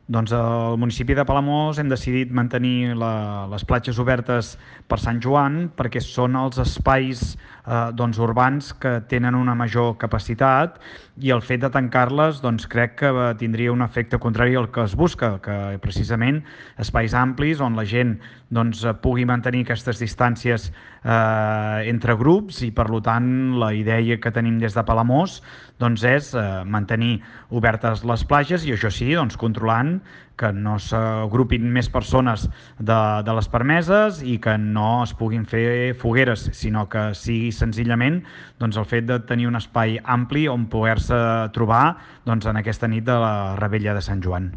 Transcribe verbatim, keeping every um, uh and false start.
Doncs al municipi de Palamós hem decidit mantenir la, les platges obertes per Sant Joan perquè són els espais eh, doncs, urbans que tenen una major capacitat i el fet de tancar-les doncs, crec que eh, tindria un efecte contrari al que es busca, que precisament espais amplis on la gent doncs, pugui mantenir aquestes distàncies eh, entre grups i per tant la idea que tenim des de Palamós doncs, és eh, mantenir obertes les platges i això sí, doncs, controlant que no s'agrupin més persones de, de les permeses i que no es puguin fer fogueres, sinó que sigui senzillament doncs, el fet de tenir un espai ampli on poder-se trobar doncs, en aquesta nit de la Rebella de Sant Joan.